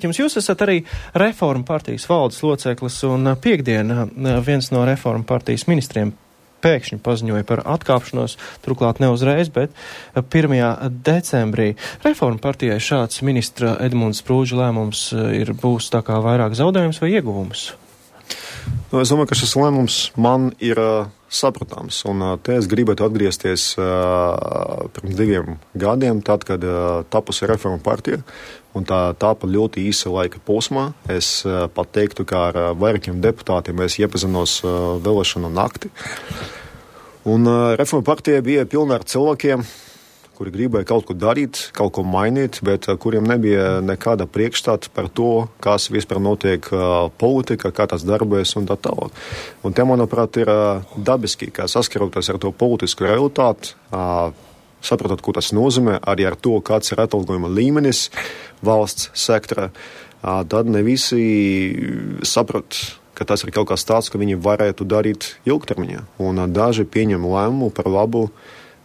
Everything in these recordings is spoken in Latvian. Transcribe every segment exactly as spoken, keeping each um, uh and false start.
teikt jums, jūs esat arī Reformu partijas valdes loceklis, un piekdien viens no Reformu partijas ministriem pēkšņi paziņoja par atkāpšanos, turklāt ne uzreiz, bet pirmajā decembrī. Reformu partijai šāds ministra Edmunda Sprūža lēmums ir būs tā kā vairāk zaudējums vai ieguvums? Nu, es domāju, ka šis lēmums man ir uh, sapratāms, un uh, te es gribētu atgriezties uh, pirms diviem gadiem, tad, kad uh, tapusi Reformu partija, un tā tāpa ļoti īsa laika posmā. Es uh, pat teiktu, ka ar uh, vairākiem deputātiem es iepazinos uh, vēlēšanu nakti. Un uh, Reformu partija bija pilna ar cilvēkiem, kuri gribēja kaut ko darīt, kaut ko mainīt, bet uh, kuriem nebija nekāda priekšstāta par to, kas vispār notiek uh, politika, kā tas darbojas un tā tālāk. Un te, manuprāt, ir uh, dabiski, kā saskaroties ar to politisku realitāti, uh, saprotot, ko tas nozīmē, arī ar to, kāds ir atalgojuma līmenis valsts sektora, uh, tad ne visi saprot, ka tas ir kaut kas tāds, ka viņi varētu darīt ilgtermiņā. Un uh, daži pieņem lēmumu par labu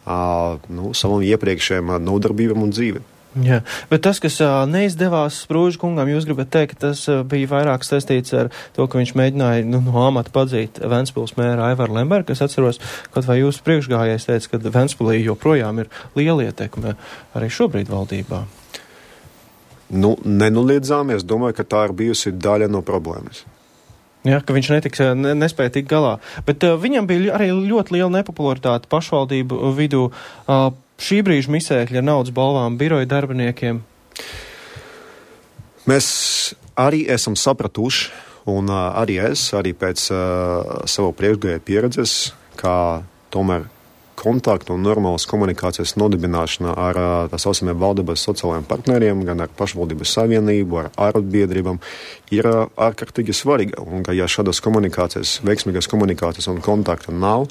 Uh, nu, savam iepriekšējiem uh, nodarbībām un dzīvi. Jā, bet tas, kas uh, neizdevās Sprūža kungam, jūs gribat teikt, ka tas uh, bija vairāk saistīts ar to, ka viņš mēģināja nu, no amata padzīt Ventspils mēra Aivaru Lembergu, kas atceros, kaut vai jūsu priekšgājējs teica, ka Ventspilī joprojām ir liela ietekme arī šobrīd valdībā. Nu, nenoliedzām, es domāju, ka tā ir bijusi daļa no problēmas. Jā, ka viņš netiks, ne, nespēja tikt galā. Bet uh, viņam bija arī ļoti liela nepopularitāte pašvaldību vidū. Uh, šī brīža misēkļi ar naudas balvām biroja darbiniekiem. Mēs arī esam sapratuši, un uh, arī es, arī pēc uh, savu priekšgājēju pieredzes, kā tomēr kontaktu un normālas komunikācijas nodibināšana ar tā saucamiem valdības sociālajiem partneriem, gan ar pašvaldības savienību, ar arotbiedrībām, ir ārkārtīgi svarīga. Un, ka ja šādas komunikācijas, veiksmīgas komunikācijas un kontakta nav,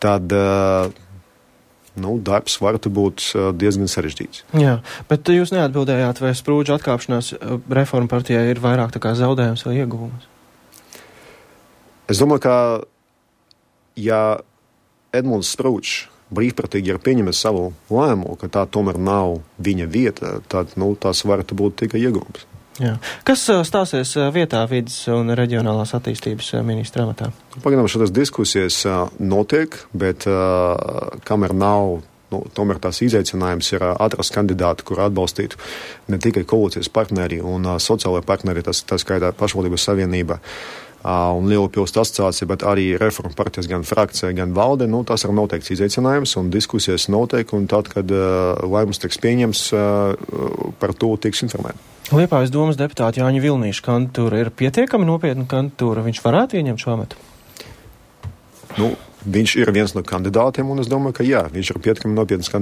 tad nu, darbs varētu būt diezgan sarežģīts. Jā, bet jūs neatbildējāt, vai Sprūža atkāpšanās Reformu partijai ir vairāk tā kā zaudējums vai ieguvums? Es domāju, ka ja Edmunds Sprūžs brīvprātīgi ir pieņemis savu lēmumu, ka tā tomēr nav viņa vieta, tad nu, tas varētu būt tikai ieguvums. Jā. Kas stāsies vietā vides un reģionālās attīstības ministra amatā? Pagaidām šādas diskusijas notiek, bet kamēr nav, nu, tomēr tās izaicinājums ir atrast kandidātu, kur atbalstītu ne tikai koalīcijas partneri un sociālai partneri, tas, tas skaitā pašvaldības savienība, un Lielupilsnes asociācija, bet arī Reformu partijas gan frakcija, gan valde, nu, tas ir noteikts izaicinājums, un diskusijas notiek, un tad, kad uh, lēmums tiks pieņems, uh, par to tiks informēt. Liepājas domas deputāta Jāņa Vilnīša kandidatūra ir pietiekami nopietna kandidatūra, viņš varētu ieņemt šo amatu? Nu, viņš ir viens no kandidātiem, un es domāju, ka jā, viņš ir pietiekami nopietnas kandidāts.